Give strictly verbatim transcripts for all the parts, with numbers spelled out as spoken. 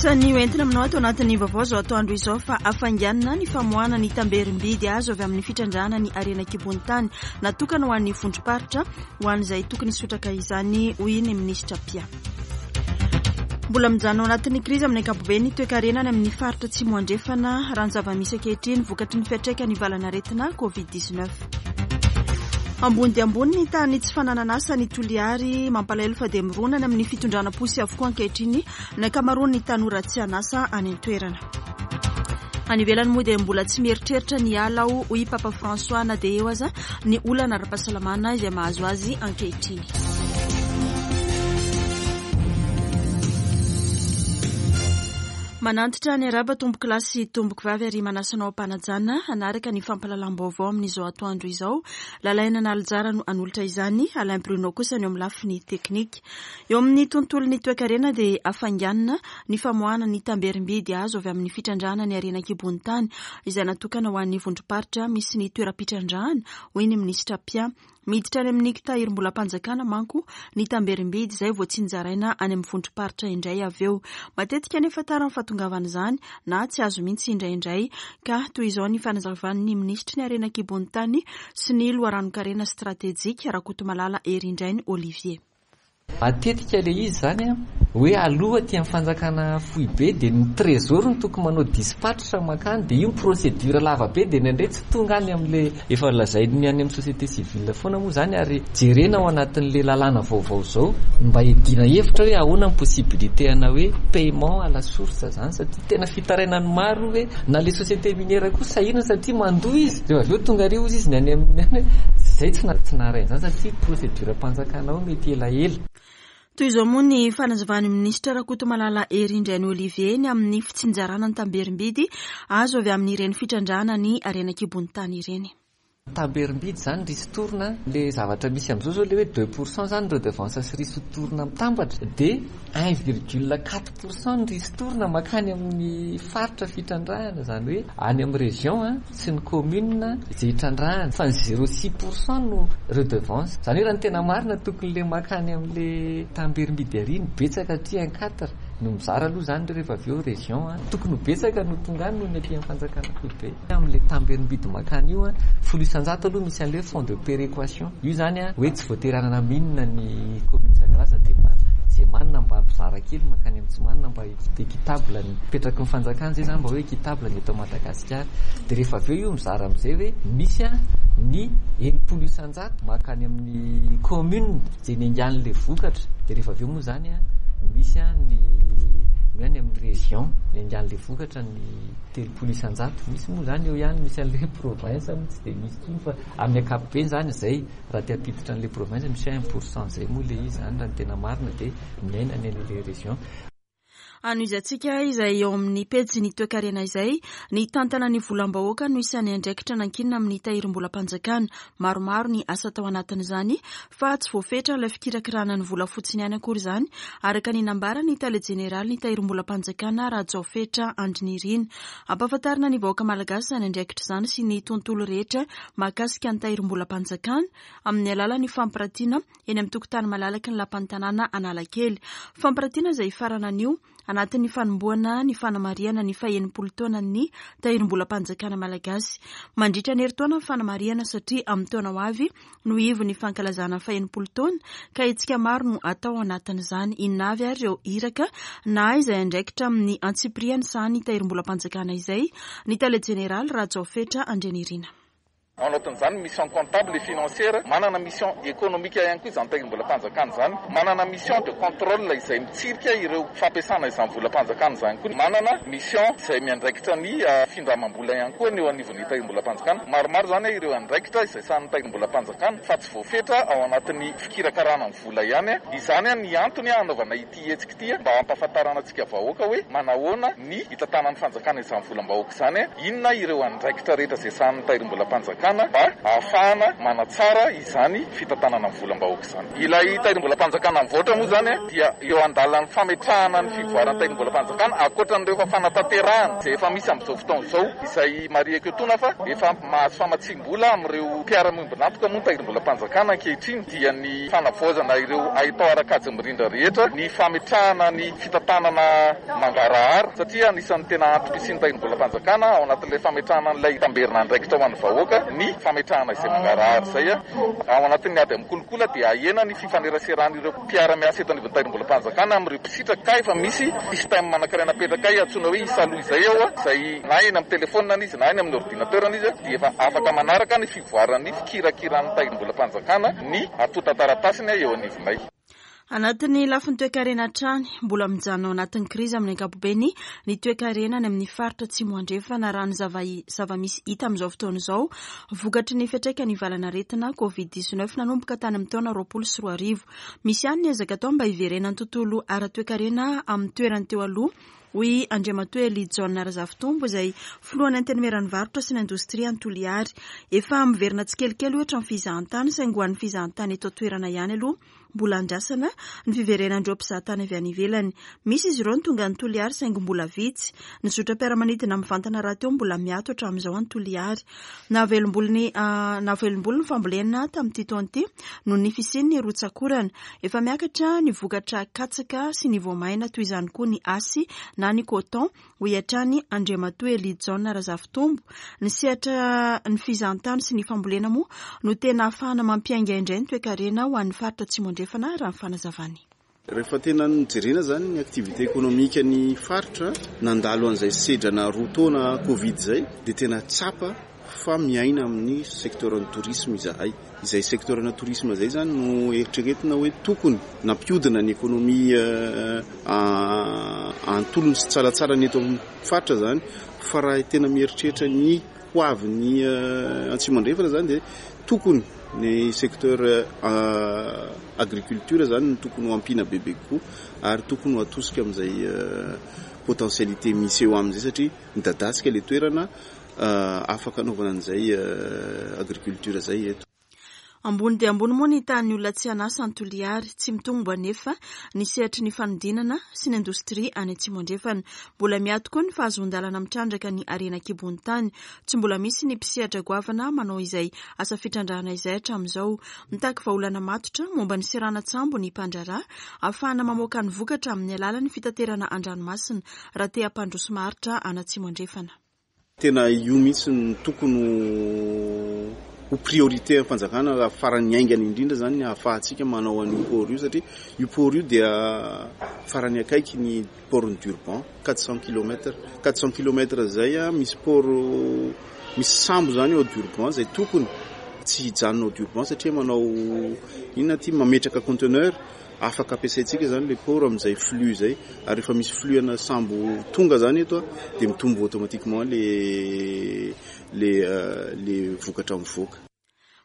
Isan'ny hoentina aminao ato anatin'ny vaovao izao atoandro izao fa hafainganina ny famoahana ny tamberim-bidy azo avy amin'ny fitrandrahana ny harena an-kibon'ny tany natokana ho an'ny vondrom-paritra ho an'izay tokony hisotraka izany, hoy ny minisitra Pia. Mbola mijanona ao anatin'ny krizy amin'ny ankapobeny ny toekarena any amin'ny faritra Atsimo Andrefana raha ny zava-misy ankehitriny vokatry ny fiantraikan'ny valanaretina covid dix-neuf. Ambony dia ambony ny tahan'ny tsy fananana asa ny Toliary, mampalahelo fa dia mirona any amin'ny fitondrana posy avokoa ankehitriny ny ankamaroan'ny tanora tsy an'asa any an-toerana. Any ivelany moa dia mbola tsy mieritreritra ny hiala aho, hoy Papa François, na dia eo aza ny olana ara-pahasalamana izay mahazo azy ankehitriny. Manantitra ny araba tompoko lahy sy tompoko vavy ary manasa anao am-panajana hanaraka ny fampahalalam-baovao amin'izao atoandro izao. Lalaina Nalijara no hanolotra izany, Alain Bruno kosa ny eo amin'ny lafiny teknika. Eo amin'ny tontolon'ny toekarena dia hafainganina ny famoahana ny tamberim-bidy azo avy amin'ny fitrandrahana ny harena an-kibon'ny tany izay natokana ho an'ny vondrom-paritra misy ny toeram-pitrandrahana, hoy ny minisitra Pia. Miditra any amin'ny tahirim-bolam-panjakana manko ny tamberim-bidy izay voatsinjaraina any amin'ny vondrom-paritra indray avy eo. Matetika nefa tara ny fahatongavan'izany na tsy azo mihitsy indraindray, ka toy izao ny fanazavan'ny minisitry ny harena an-kibon'ny tany sy ny loharanon-karena stratejika Rakotomalala Herindrainy Olivier. Matetika ilay izy izany a, hoe aloha aty amin'ny fanjakana foibe dia ny trésor no tokony manao dispatch mankany, dia io procédure lava be dia indraindray tsy tonga any amin'ilay efa lazain'ny any amin'ny société civile foana moa izany, ary jerena ao anatin'ilay lalàna vaovao izao mba hiadiana hevitra hoe ahoana ny possibilité ana hoe paiement à la source izany, satria tena fitarainan'ny maro hoe na ilay société minière koa sahirana satria mandoa izy, rehefa avy eo tonga ary ozy izy ny any amin'ny any hoe izay tsy na-, tsy naharay an'izany satria procédure mpanjakana ao mety elaela. Toy izao moa ny fanazavan'ny minisitra Rakotomalala Herindrainy Olivier ny amin'ny fitsinjarana ny tamberim-bidy azo avy amin'ireny fitrandrahana ny harena an-kibon'ny tany ireny. Tamberim-bidy izany ristourne, le zavatra misy amin'izao zao le hoe deux pour cent zany redevance sy ristourne mitambatra dia un virgule quatre pour cent ny ristourne mankany amin'ny faritra fitrandrahana, izany hoe any amin'ny région a, sy ny commune izay hitrandrahana, fa ny zéro six pour cent no redevance. Izany hoe raha ny tena marina tokony le mankany amin'le tamberim-bidy ary ny betsaka aty un quatre no mizara aloha izany rehefa avy eo région a, tokony ho betsaka no tonga any noho ny aty amin'ny fanjakana foibe. Amin'le tamberim-bidy mankany io a, folo isan-jato aloha misy an'le fonds de péréquation. Io izany a, hoe tsy voatery hanana mine ny commune Tsangaza dia mba izay manana mba mizara kely mankany amin'ny tsy manana mba équitable ny petraky ny fanjakana izay izany mba hoe équitable ny eto Madagasikara. Dia rehefa avy eo io mizara amin'izay hoe misy a ny enimpolo isan-jato mankany amin'ny commune izay niaingan'ilay vokatra. Dia rehefa avy eo moa izany a misy a ny any amin'ny région niaingan'ilay vokatra ny telopolo isan-jato. Misy moa izany eo ihany misy an'ilay province moa tsy dia misy intsony fa amin'ny ankapobeny izany izay raha te hampiditra an'ilay province misy un pour cent izay moa ilay izy izany raha ny tena marina dia miaina any amin'ilay région. Anohizantsika izay eo amin'ny pejy ny toekarena izay, ny tantana ny volam-bahoaka no isan'ny andraikitra nankinina amin'ny tahirim-bolam-panjakana. Maromaro ny asa tao anatin'izany fa tsy voafetra ilay fikirakirana ny vola fotsiny ihany akory izany, araka ny nambaran'ny tale jeneraly ny tahirim-bolam-panjakana Rajaofetra Andrinirina. Ampahafantarina ny vahoaka malagasy izany andraikitra izany sy ny tontolo rehetra mahakasika ny tahirim-bolam-panjakana amin'ny alalan'ny fampiratiana eny amin'ny tokotany malalaky ny lapan'ny tanàna Analakely. Fampiratiana izay hifarana anio anatin'ny fanombohana ny fanamarihana ny fahenimpolo taonan'ny tahirim-bolam-panjakana malagasy. Mandritra ny herintaona ny fanamarihana satria amin'ny taona ho avy no ivon'ny fankalazana fahenimpolo taona ka hetsika maro no atao anatin'izany. Inona avy ary ireo iraka na izay andraikitra amin'ny antsipiriany sahan'ny tahirim-bolam-panjakana izay? Ny tale jeneraly Rajaofetra Andrianirina. Ao anatin'izany mission comptable et financière, manana mission économique ihany koa izany tahirim-bolam-panjakana izany, manana mission de contrôle izay mitsirika ireo fampiasana izany volam-panjakana izany koa, manana mission izay miandraikitra ny findramam-bola ihany koa ny eo anivon'ny tahirim-bolam-panjakana. Maromaro izany ireo andraikitra izay sahan'ny tahirim-bolam-panjakana fa tsy voafetra ao anatin'ny fikirakarana ny vola ihany. Izany ny antony hanaovana ity hetsika ity mba hampahafantarana antsika vahoaka hoe manahoana ny hitantanan'ny fanjakana izany volam-bahoaka izany, inona ireo andraikitra rehetra izay sahan'ny tahirim-bolam-panjakana tahirim-bolam-panjakana mba ahafahana manatsara izany fitantanana ny volam-bahoaka izany. Ilay tahirim-bolam-panjakana mivoatra moa zany dia eo andalan'ny fametrahana ny fivoaran'ny tahirim-bolam-panjakana ankoatran'ireo efa fanatanterahana izay efa misy amin'izao fotoana izao, izay marihiko etoana fa efa mahazo famatsiam-bola amin'ireo mpiara-miombon'antoka moa ny tahirim-bolam-panjakana ankehitriny, dia ny fanavaozana ireo haitao ara-kajy mirindra rehetra, ny fametrahana ny fitantanana mangarahara, satria anisan'ny tena antom-pisian'ny tahirim-bolam-panjakana ao anatin'ilay fametrahana an'ilay tamberina andraikitra ho an'ny vahoaka ny fametrahana izay mangarahara izay. Ao anatin'ny ady amin'ny kolikoly dia ahena ny fifaneraseran'ireo mpiara-miasa eto anivon'ny tahirim-bolam-panjakana amin'ireo mpisitraka, ka efa misy système anankiray napetraka antsoina hoe isaloha izay ao, izay na eny amin'ny telefona izy na eny amin'ny ordinateur izy dia efa afaka manaraka ny fivoaran'ny fikirakiran'ny tahirim-bolam-panjakana ny antontan-taratasiny eo anivonay. Anatin'ny lafiny toekarena hatrany, mbola mijanona ao anatin'ny krizy amin'ny ankapobeny ny toekarena any amin'ny faritra Atsimo Andrefana raha ny zava-misy hita amin'izao fotoana izao, vokatry ny fiantraikan'ny valanaretina covid dix-neuf nanomboka tany amin'ny taona roapolo sy roa arivo. Misy ihany ny ezaka atao mba hiverenan'ny tontolo ara-toekarena amin'ny toerany teo aloha, hoy Andriamatoa Elie Jaona Razafitombo, izay filohan'ny Antenimieran'ny varotra sy ny indostria any Toliary. Efa miverina tsikelikely ohatra ny fizahantany, saingy ho an'ny fizahantany eto an-toerana ihany aloha mbola andrasana ny fiverenan'ireo mpizahatany avy any ivelany. Misy izy ireo ny tonga any Toliary saingy mbola vitsy. Ny zotram-piaramanidina mivantana rahateo mbola miato hatramin'izao any Toliary. Nahavelom-bolo ny, nahavelom-bolo ny fambolena tamin'ity taona ity noho ny fisian'ny rotsakorana. Efa miakatra ny vokatra katsaka sy ny voamaina, toy izany koa ny asy na ny coton, hoy hatrany Andriamatoa Elie Jaona Razafitombo. Ny sehatra ny fizahantany sy ny fambolena moa no tena ahafahana mampiainga indray ny toekarena ho an'ny faritra Atsimo Andrefana, raha ny fanazavany. Rehefa tena nijerena zany ny activité économique ny faritra nandalo an'izay sedrana roa taona Covid izay, dia tena tsapa fa miaina amin'ny secteur ny tourisme izahay. Izay secteur ny tourisme izay zany no eritreretina hoe tokony nampiodina ny économie antolony sy tsaratsara ny eto amin'ny faritra zany. Fa raha tena mieritreritra ny ho avy ny Atsimo Andrefana zany dia tokony ny secteur agriculture zany no tokony ho ampiana bebe kokoa, ary tokony ho atosika amin'izay potentialité misy eo amin'izay, satria midadasika ilay toerana afaka anaovana an'izay agriculture izay eto. Ambony dia ambony moa ny tahan'ny olona tsy an'asa any Toliary. Tsy mitombo anefa ny sehatry ny fanodinana sy ny indostria any Atsimo Andrefana. Mbola miato koa ny fahazoan-dalana mitrandraka ny harena an-kibon'ny tany. Tsy mbola misy ny mpisehatra goavana manao izay asa fitrandrahana izay hatramin'izao. Mitaky vahaolana matotra momba ny seranan-tsambo ny mpandraharaha ahafahana mamoaka ny vokatra amin'ny alalan'ny fitaterana an-dranomasina raha te hampandroso maharitra any Atsimo Andrefana. Tena io mihitsy no tokony ho priorité am-panjakana raha farany haingana indrindra zany ny ahafahantsika manao an'io port io, satria io port io dia farany akaiky ny port-n'i Durban, quatre cents kilomètres. quatre cents kilomètres zay a, misy port, misy sambo zany ao Durban zay tokony tsy hijanona ao Durban, satria manao inona ty, mametraka conteneur, afaka ampiasaintsika zany le port amin'izay flux zay. Ary rehefa misy flux ana sambo tonga zany eto a, dia mitombo automatiquement le, le, le vokatra mivoaka.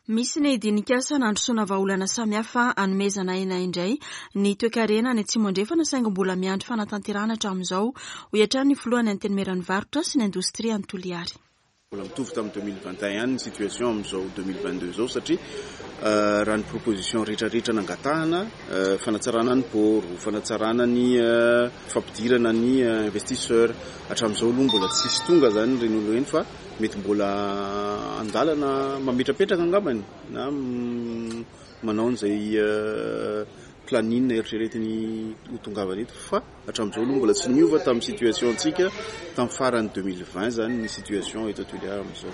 Misy ny dinikasa nandrosoana vahaolana samihafa hanomezana aina indray ny toekarena any Atsimo Andrefana, saingy mbola miandry fanatanterahana hatramin'izao, hoy hatrany ny filohan'ny Antenimieran'ny varotra sy ny indostria any Toliary. Mbola mitovy tamin'ny deux mille vingt et un ihany ny situation amin'izao deux mille vingt deux izao, satria raha ny proposition rehetrarehetra nangatahana, fanatsarana ny port, fanatsarana ny fampidirana ny investisseur, hatramin'izao aloha mbola tsisy tonga zany ireny olona ireny, fa mety mbola andalana mametrapetraka angambany na manao an'izay planning eritreretiny ho tongavana eto, fa hatramin'izao aloha mbola tsy niova tamin'ny situation antsika tamin'ny farany deux mille vingt zany ny situation eto Toliara amin'izao.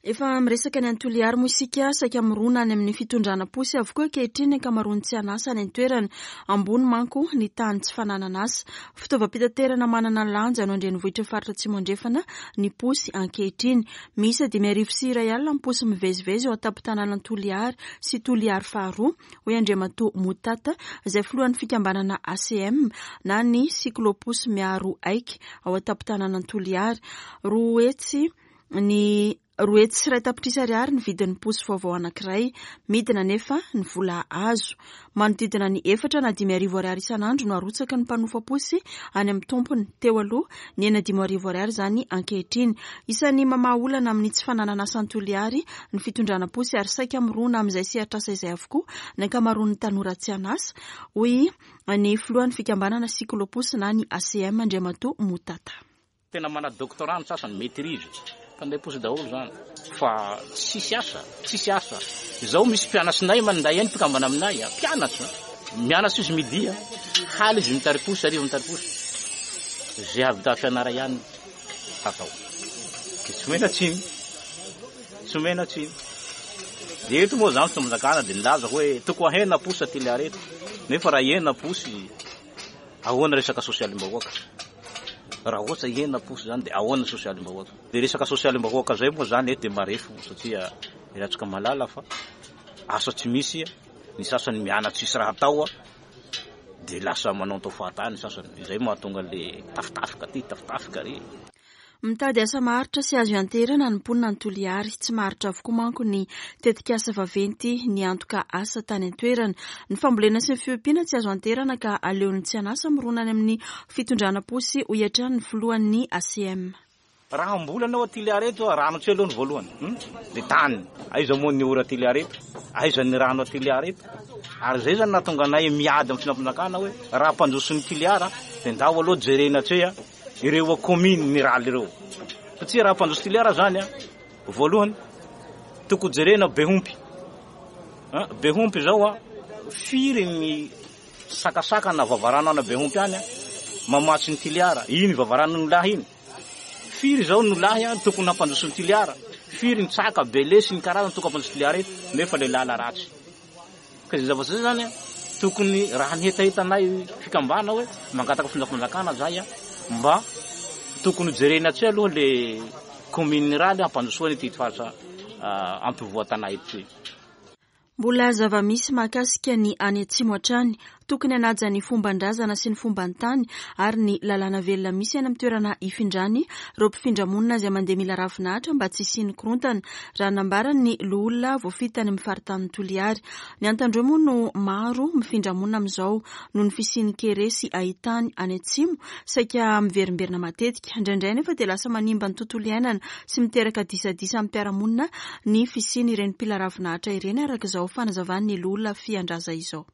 Efa miresaka ny any Toliary moa isika, saika mirona any amin'ny fitondrana posy avokoa ankehitriny ny ankamaroan'ny tsy an'asa any an-toerana. Ambony manko ny tany tsy fananana asa. Fitaovam-pitaterana manana lanja no an-drenivohitry ny faritra Atsimo Andrefana ny posy ankehitriny. Miisa dimy arivo sy iray alina ny posy mivezivezy eo an-tampon-tanànan'i Toliary sy Toliary faharoa, hoy Andriamatoa Motata, izay filohan'ny fikambanana A C M na ny cycloposy miaro aiky ao an-tampon-tanànan'i Toliary. Roa hetsy ny Roa hetsy sy iray tapitrisa ariary ny vidin'ny posy vaovao anankiray. Midina nefa ny vola azo. Manodidina ny efatra na dimy arivo ariary isan'andro no arotsaky ny mpanofa posy any amin'ny tompony. Teo aloha nihena dimy arivo ariary izany ankehitriny. Isan'ny mamaha olana amin'ny tsy fananana asa any Toliary ny fitondrana posy ary saika mirona amin'izay sehatr'asa izay avokoa ny ankamaroan'ny tanora tsy an'asa, hoy ny filohan'ny fikambanana Cycloposy na ny A C M Andriamatoa Motata. Tena mana doctorat ny sasany, maîtrise, mpanday posy daholo zany fa tsisy asa, tsisy asa. Izao misy mpianatrinay manday ihany mpikambana aminay, mpianatra mianatra izy midi, haly izy mitary posy, hariva mitary posy. Zay hahavita fianara ihany atao. Dia tsy omena tsiny, tsy omena tsiny. Dia eto moa zany fitondram-panjakana dia nilaza hoe toko ahena posy aty Toliara eto, nefa raha ahena posy ahoana resaka sosialim-bahoaka? Raha ohatra ahena posy zany dia ahoana sosialim-bahoaka? Dia resaka sosialim-bahoaka zay moa zany eto dia marefo satria iratsika malala fa asa tsy misy, ny sasany mianatra tsisy raha atao dia lasa manao tao fahatany ny sasany. Izay mahatonga le tafitafika aty, tafitafika ary. Mitady asa maharitra sy azo ianteherana ny mponina any Toliary. Tsy maharitra avokoa manko ny tetikasa vaventy ny antoka asa tany an-toerana. Ny fambolena sy ny fiompiana tsy azo anteherana ka aleon'ny tsy an'asa mirona any amin'ny fitondrana posy, hoy hatrany ny filohan'ny A C M. Raha hamboly anao aty Toliary eto, rano tsy aloha ny voalohany, hmm? Dia tany. Aiza moa ny ora Toliary eto? Aiza ny rano aty Toliary eto? Ary izay zany nahatonga anay miady amin'ny fitondram-panjakana hoe raha hampandroso ny Toliara dia ndao aloha jerena hatreha ireo commune miraly ireo. Satria raha hampandroso Toliara zany a, voalohany tokony jerena Behompy. Ha, Behompy zao a, firy ny sakasaka na vavarano ana Behompy any a, mamatsy ny Toliara. Iny vavarano ny lahy iny. Firy zao no lahy a, tokony hampandroso ny Toliara. Firy ny tsaka, bele sy ny karazany tokony hampandroso Toliara eto, nefa le lala ratsy. Ka izay zavatra izay zany a, tokony raha ny hetahetanay fikambana hoe mangataka fitondram-panjakana zay a, mba tokony jerena tsy aloha le commune raly hampandrosoana ity faritra, ah, ampivoatanay ity. Mbola zava-misy mahakasika ny any atsimo hatrany. Tokony hanaja ny fomban-drazana sy ny fomban-tany ary ny lalàna velona misy any amin'ny toerana ifindrany ireo mpifindra-monina izay mandeha mila ravinahitra mba tsy hisian'ny korontana, raha nambarany ny loholona voafidy tany amin'ny faritanin'i Toliary. Ny Antandroy moa no maro mifindra-monina amin'izao noho ny fisian'ny kere sy ahitany any atsimo, saika miverimberina matetika. Indraindray nefa dia lasa manimba ny tontolo iainana sy miteraka disadisa amin'ny mpiara-monina ny fisian'ireny mpila ravinahitra ireny, araka izao fanazavan'ny loholona Fiandraza izao.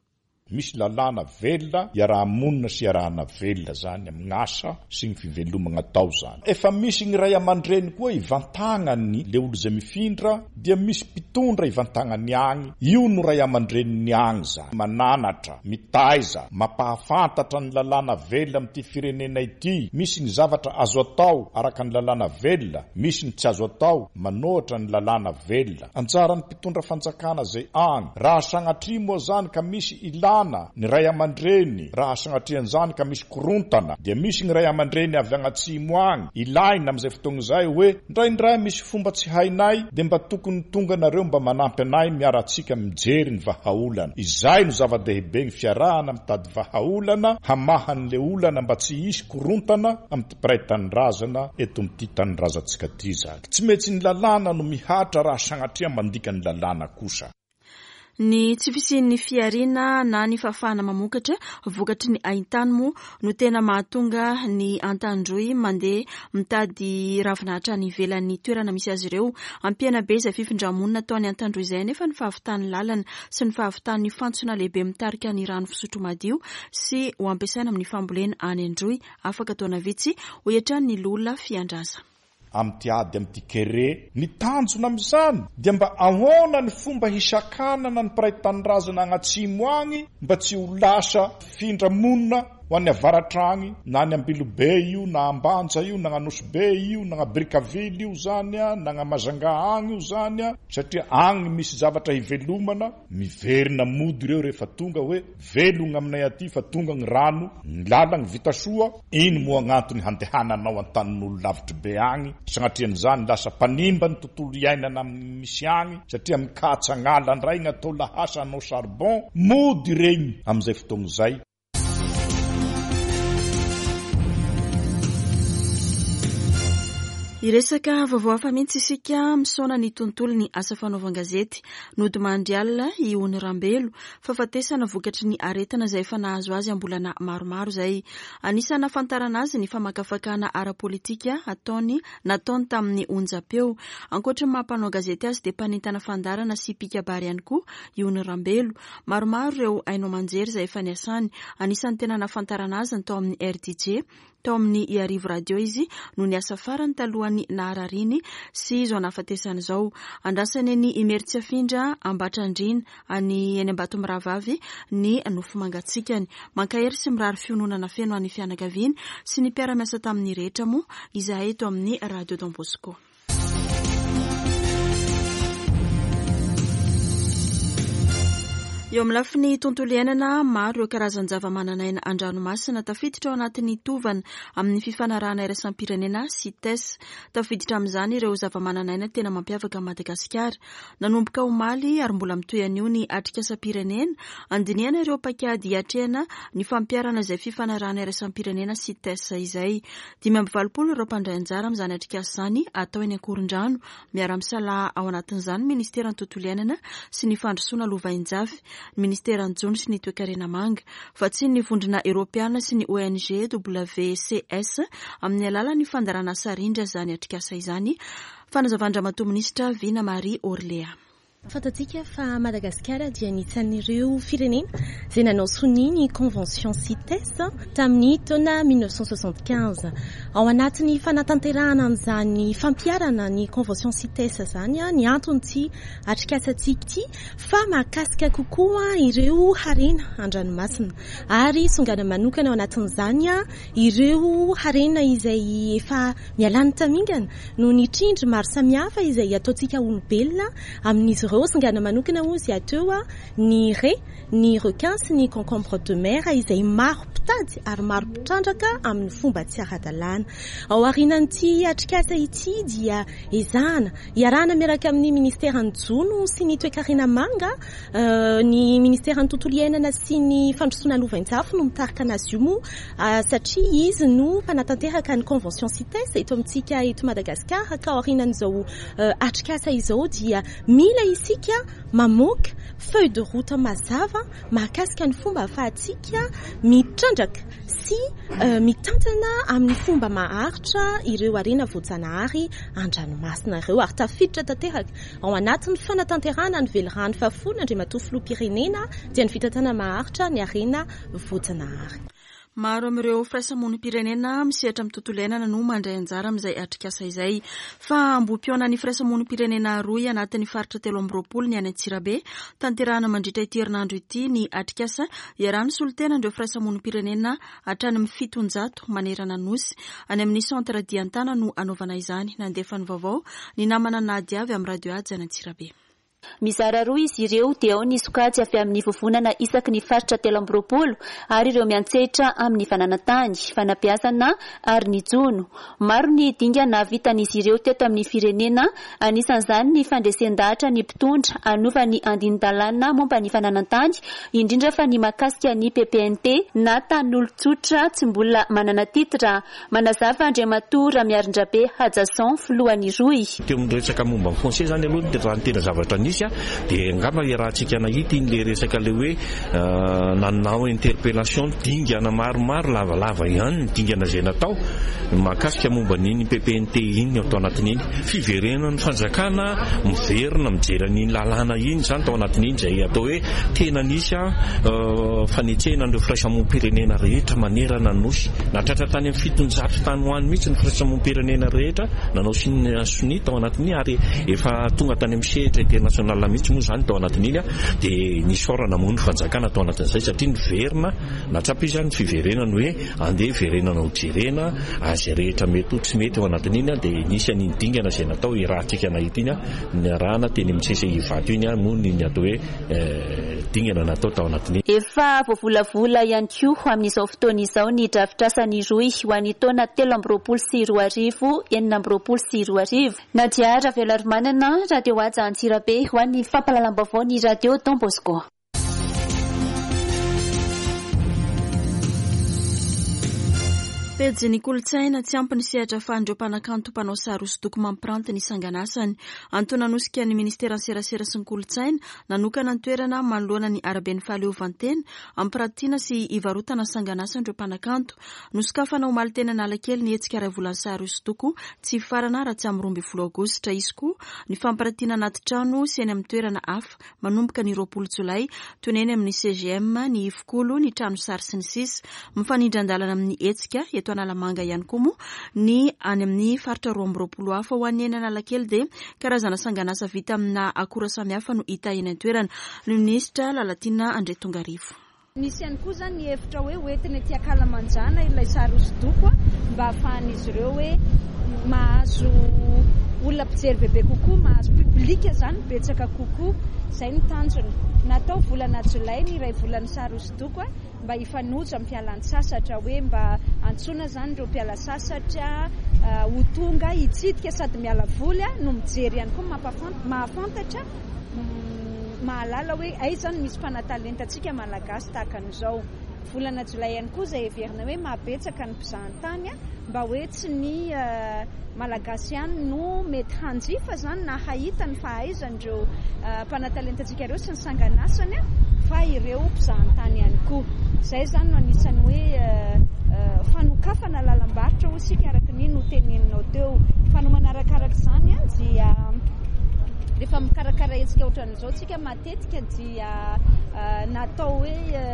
Misy lalàna velona iaraha-monina sy iarahana velona zany amin'ny asa sy ny fivelomana atao zany. Efa misy ny ray aman-dreny koa ivantagnany le olo izay mifindra, dia misy mpitondra ivantagnany agny. Io no ray aman-dreniny agny zany. Mananatra, mitaiza, mampahafantatra ny lalàna velona amin'ity firenena ity. Misy ny zavatra azo atao araka ny lalàna velona, misy ny tsy azo atao manohatra ny lalàna velona. Anjaran'ny mpitondra fanjakana zay agny. Raha sagnatria moa zany ka misy ilana ny ray aman-dreny, raha sagnatrian'izany ka misy korontana, dia misy ny ray aman-dreny avy agnatsimo agny ilaina amin'izay fotoana izay hoe ndraindray misy fomba tsy hainay, dia mba tokony tonga nareo mba manampy anay miaratsika mijery ny vahaolana. Izay no zava-dehibe ny fiarahana mitady vahaolana hamahan'le olana mba tsy hisy korontana amin'ity mpiray tanindrazana eto amin'ity tanindrazantsika ity zany. Tsy maintsy ny lalàna no mihatra raha sagnatria mandika ny lalàna kosa. Ny tsy fisian'ny fihariana na ny fahafahana mamokatra vokatry ny haintany moa no tena mahatonga ny Antandroy mandeha mitady ravinahitra any ivelan'ny toerana misy azy ireo. Ampiana be izay fifindramonina ataon'ny Antandroy izay nefa ny fahavitan'ny lalana sy ny fahavitan'ny fantsona lehibe mitarika ny rano fisotro madio sy ho ampiasaina amin'ny fambolena any Androy afaka taona vitsy, hoy hatrany ny loholona Fiandraza. Amin'ity ady amin'ity kere, ny tanjona amin'izany dia mba ahoana ny fomba hisakanana ny mpiray tanindrazana agnatsimo agny mba tsy ho lasa fifindramonina ho an'ny avaratra agny, na any Ambilobe io, na Ambanja io, na Anosibe io, na Brickaville io zany a, na Majunga agny io zany a, satria agny misy zavatra hivelomana. Miverina mody ireo rehefa tonga hoe velogna aminay aty fa tonga ny rano, ny lalagna vita soa, iny moa agnantony handehananao an-tanin'olo lavitry be agny. Sagnatrian'izany lasa mpanimba ny tontolo iainana amin'ny misy agny, satria mikatsa agnala ndray ny atao lahasa hanao charbon, mody regny amin'izay fotoagna izay. Hiresaka vaovao hafa mihitsy isika, misaona ny tontolo ny asa fanaovan-gazety. Nodimandry alina i Ony Rambelo, fahafatesana vokatry ny aretina izay efa nahazo azy am-bolana maromaro izay. Anisan'ny nahafantarana azy ny famakafakana ara-politika ataony nataony tamin'ny onjam-peo. Ankoatra ny maha mpanao gazety azy dia mpanentana fandaharana sy mpikabary ihany koa i Ony Rambelo. Maromaro ireo haino aman-jery izay efa niasany. Anisan'ny tena nahafantarana azy ny tao amin'ny R D J, tao amin'ny Iarivo Radio izy no niasa farany talohan'ny naharariany sy izao nahafatesany izao. Andrasany eny Imerintsiafindra, Ambatrandriana, any eny Ambatomirahavavy ny nofo mangatsikany. Mankahery sy mirary fiononana feno an'ny fianakaviany sy ny mpiara-miasa tamin'ny rehetra moa izahay eto amin'ny Radio Don Bosco. Eo amin'ny lafiny tontolo iainana, maro ireo karazan-java-mananaina an-dranomasina tafiditra ao anatin'ny tovana amin'ny fifanarahana iraisam-pirenena CITES. Tafiditra amin'izany ireo zava-mananaina tena mampiavaka an'i Madagasikara. Nanomboka omaly ary mbola mitohy anio ny atrikasam-pirenena andinihana ireo paikady hiatrehana ny fampiharana izay fifanarahana iraisam-pirenena CITES izay. Dimy amby valopolo ireo mpandray anjara amin'izany atrikasa izany atao eny Ankorondrano. Miara-misalahy ao anatin'izany ny ministeran'ny tontolo iainana sy ny fandrosoana lovainjafy, ny ministeran'ny jono sy ny toekarena manga, vatsian'ny vondrona eoropeana sy ny O N G W C S amin'ny alalan'ny fandaharana sarindra izany atrikasa izany. Fanazavan-dRamatoa Minisitra Vina Marie Orléa. Fantatsika fa Madagasikara dia anisan'ireo firenena izay nanao sonia ny convention CITES tamin'ny taona mille neuf cent soixante-quinze. Ao anatin'ny fanatanterahana an'izany fampiharana ny convention CITES izany ny antony tsy atrikasantsika ity fa mahakasika kokoa ireo harena an-dranomasina ary songana manokana ao anatin'izany ireo harena izay efa mialany tamingana noho ny trindry maro samihafa izay ataontsika olombelona amin'izy ireo. Songana manokana ozy ateo ny raie, ny requin sy ny concombre de mer izay maro mpitady ary maro mpitrandraka amin'ny fomba tsy ara-dalàna. Ao aorianan'ity atrikasa ity dia ezahana iarahana miaraka amin'ny ministeran'ny jono sy ny toekarena manga, ny ministeran'ny tontolo iainana sy ny fandrosoana lovainjafy no mitarika anazy io moa, satria izy no mpanatanteraka ny convention CITES eto amintsika eto Madagasikara. Ka aorianan'izao atrikasa izao dia mila isika mamoaka feuille de route mazava mahakasika ny fomba ahafahantsika mitrandraka sy mitantana amin'ny fomba maharitra ireo harena voajanahary an-dranomasina ireo ary tafiditra tanteraka ao anatin'ny fanatanterahana ny velirano fahafolona Andriamatoa Filoham-pirenena dia ny fitantanana maharitra ny harena voajanahary. Maro amin'ireo firaisamonim-pirenena misehatra amin'ny tontolo iainana no mandray anjara amin'izay atrikasa izay. Fa ambohi-pihaonan'ny firaisamonim-pirenena roa anatin'ny faritra telo amby roapolo ny any Antsirabe. Tanterahana mandritra ity herinandro ity ny atrikasa iarahan'ny solontenan'ireo firaisamonim-pirenena hatrany amin'ny fitonjato manerana nosy. Any amin'ny centre Diantana no anaovana izany. Nandefa ny vaovao ny namana Nadia avy amin'ny Radio Haja any Antsirabe. Mizara roa izy ireo dia ao ny sokajy avy amin'ny vovonana isaky ny faritra telo amby roapolo ary ireo miantsehitra amin'ny fananantany, fanabeazana ary ny jono. Maro ny dingana vitan'izy ireo teto amin'ny firenena, anisan'izany ny fandresen-dahatra ny mpitondra hanova ny andinin-dalàna momba ny fananantany, indrindra fa ny mahakasika ny P P N T na tanin'olon-tsotra tsy mbola manana titra. Manazava Andriamatoa Ramiarindrabe Hajason, filohan'ny Rohy. Teo amin'ny resaka momba ny foncier zany aloha dia raha ny tena zavatra nisy a, dia angamba iarahantsika nahita iny le resaka le hoe, euh, nanao interpellation dingana maromaro lavalava ihany ny dingana izay natao mahakasika momba n'iny P P N T iny tao anatin'iny. Fiverenan'ny fanjakana miverina mijery an'iny lalàna iny zany tao anatin'iny izay atao hoe tena nisy a, euh, fanetsehana an'ireo firaisamonim-pirenena rehetra manerana ny nosy. Nahatratra tany amin'ny fitonjato tany ho any mihitsy ny firaisamonim-pirenena rehetra nanao sin-, sonia tao anatin'iny ary efa tonga tany amin'ny sehatra international mihitsy moa zany tao anatin'iny a, dia nisaorana moa ny fanjakana tao anatin'izay satria niverina natsapa izy ny fiverenany hoe andeha hiverenana ho jerena azy rehetra mety ho tsy mety ao anatin'iny a, dia nisy an'iny dingana izay natao irahantsika nahita iny a, niarahana teny amin'ny C C I Ivato iny a, moa ny atao hoe, eh, dingana natao tao anatin'iny. Efa voavolavola ihany koa amin'izao fotoana izao ny drafitrasan'ny Rohy ho an'ny taona telo amby roapolo sy roa arivo, enina amby roapolo sy roa arivo. Nadia Raveloarimanana, Radio Haja Antsirabe ho an'ny fampahalalam-baovao ny Radio Don Bosco. Pejy ny kolontsaina. Tsy ampy ny sehatra ahafahan'ireo mpanakanto mpanao sary hosodoko mampiranty ny sanganasany. Antony nanosika ny ministeran'ny serasera sy ny kolontsaina nanokana ny toerana manoloana ny araben'ny fahaleovantena ampiratiana sy ivarotana ny sanganasan'ireo mpanakanto. Nosokafana omaly teny Analakely ny hetsika iray volan'ny sary hosodoko tsy hifarana raha tsy amin'ny roa ambin'ny folo aogositra. Hisy koa ny fampiratiana anaty trano sy eny amin'ny toerana hafa manomboka ny roapolo jolay toy ny eny amin'ny C G M, ny Ivokolo, ny trano sary sy ny sisa. Mifanindran-dalana amin'ny hetsika eto Analamanga ihany koa moa ny any amin'ny faritra roa amby roapolo hafa. Ho an'ny eny Analakely dia karazana sanganasa vita amina akora samihafa no hita eny an-toerana. Ny minisitra Lalatiana Andriatongarivo. Misy ihany koa izany ny hevitra hoe hoentina ety Ankalamanjana ilay sary hosodoko mba ahafahan'izy ireo hoe mahazo olona mpijery bebe kokoa, mahazo public izany betsaka kokoa. Izay no tanjona. Natao volana jolay ny iray volan'ny sary hosodoko mba hifanojo amin'ny fialan-tsasatra, hoe mba antsoina izany ireo mpiala sasatra ho tonga hitsidika sady miala voly no mijery ihany koa, mampafant-, mahafantatra, mahalala hoe aiza no misy mpanatalenta-tsika malagasy tahaka an'izao. Volana jolay ihany koa izay heverina hoe mahabetsaka ny mpizahantany, mba hoe tsy ny malagasy ihany no mety hanjifa izany na hahita ny fahaizan'ireo mpanatalenta-tsika ireo sy ny sanganasany, fa ireo mpizahantany ihany koa. Izay izany no anisan'ny hoe fanokafana lalam-barotra hoy isika araka ny noteneninao teo. Fa no manarakaraka izany dia rehefa mikarakara hetsika ohatran'izao tsika matetika dia natao hoe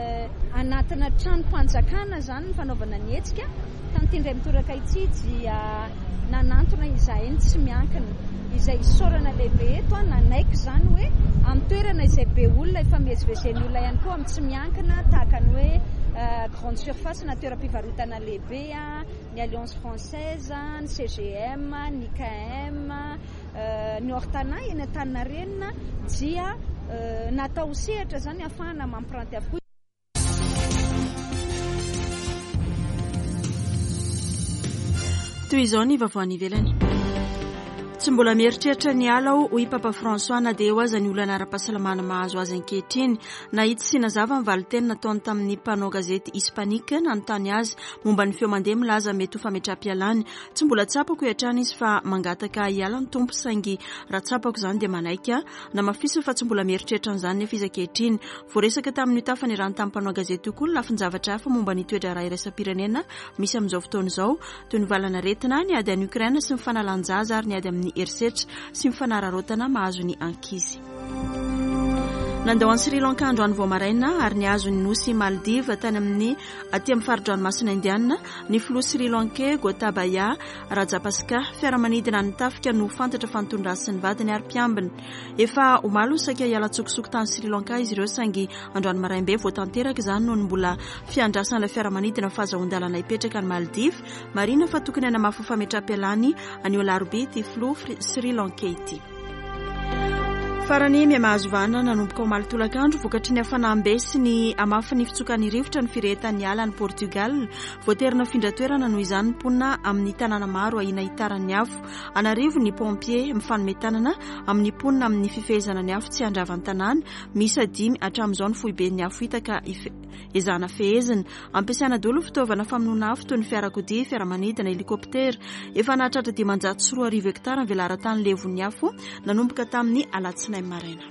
anatina tranom-panjakana izany ny fanaovana ny hetsika. Tamin'ity indray mitoraka ity dia nanantona izahay ny tsy miankina, izay isaorana lehibe eto, nanaiky izany hoe amin'ny toerana izay be olona efa mivezivezen'ny olona ihany koa amin'ny tsy miankina, tahaka ny hoe grande surface na toeram-pivarotana lehibe, ny Alliance Française, ny C G M, ny K M, ny Hortana eny Antaninarenina dia natao sehatra izany ahafahana mampiranty avokoa. Toy izao ny vaovao any ivelany. Tsy mbola mieritreritra ny ala aho, hoy Papa François, na dia eo aza ny olana ara-pahasalamana mahazo azy ankehitriny. Nahitsy sy nazava ny valinteny nataony tamin'ny mpanao gazety hispanique nanontany azy momba ny feo mandeha milaza mety ho fametraham-pialany. Tsy mbola tsapako hatrany izy fa mangataka hiala ny tompo, saingy raha tsapako izany dia manaiky. Namafisiny fa tsy mbola mieritreritra an'izany nefa izy ankehitriny. Voaresaka tamin'io tafanirany tamin'ny mpanao gazety io koa ny lafin-javatra hafa momba ny toe-draharaha iraisam-pirenena misy amin'izao fotoana izao, toy ny valanaretina, ny ady any Ukraine sy ny fanalan-jaza ary ny ady amin'ny herisetra sy ny fanararaotana mahazo ny ankizy. Nandao an'i Sri Lanka androany vao maraina ary nihazo ny nosy Maldives tany amin'ny aty amin'ny fari-dranomasina Indiana ny filoha Sri Lankais Gotabaya Rajapaksa. Fiaramanidina ny tafika no fantatra fa nitondra azy sy ny vadiny ary mpiambina. Efa omaly no saika hiala an-tsokosoko tany Sri Lanka izy ireo, saingy androany maraim-be vao tanteraka izany noho ny mbola fiandrasan'ilay fiaramanidina fahazoan-dalana hipetraka any Maldives. Marihina fa tokony hanamafy fametraham-pialany anio alarobia ity filoha Sri Lankais ity. Farany miha-mahazo vahana nanomboka omaly tolakandro vokatry ny hafanam-be sy ny hamafin'ny fitsokan'ny rivotra ny firehetan'ny ala any Portugal. Voatery nafindra toerana noho izany ny mponina amin'ny tanàna maro ahiana hitaran'ny afo. An'arivo ny pompier mifanome tanana amin'ny mponina amin'ny fifehezana ny afo tsy handrava ny tanàna. Miisa dimy hatramin'izao ny foiben'ny afo hita ka ezahana fehezina. Ampiasaina daholo ny fitaovana famonoana afo toy ny fiarakodia, fiaramanidina, helikoptera. Efa nahatratra dimanjato sy roa arivo hektara ny velaran-tany levon'ny afo nanomboka tamin'ny alatsinainy maraina.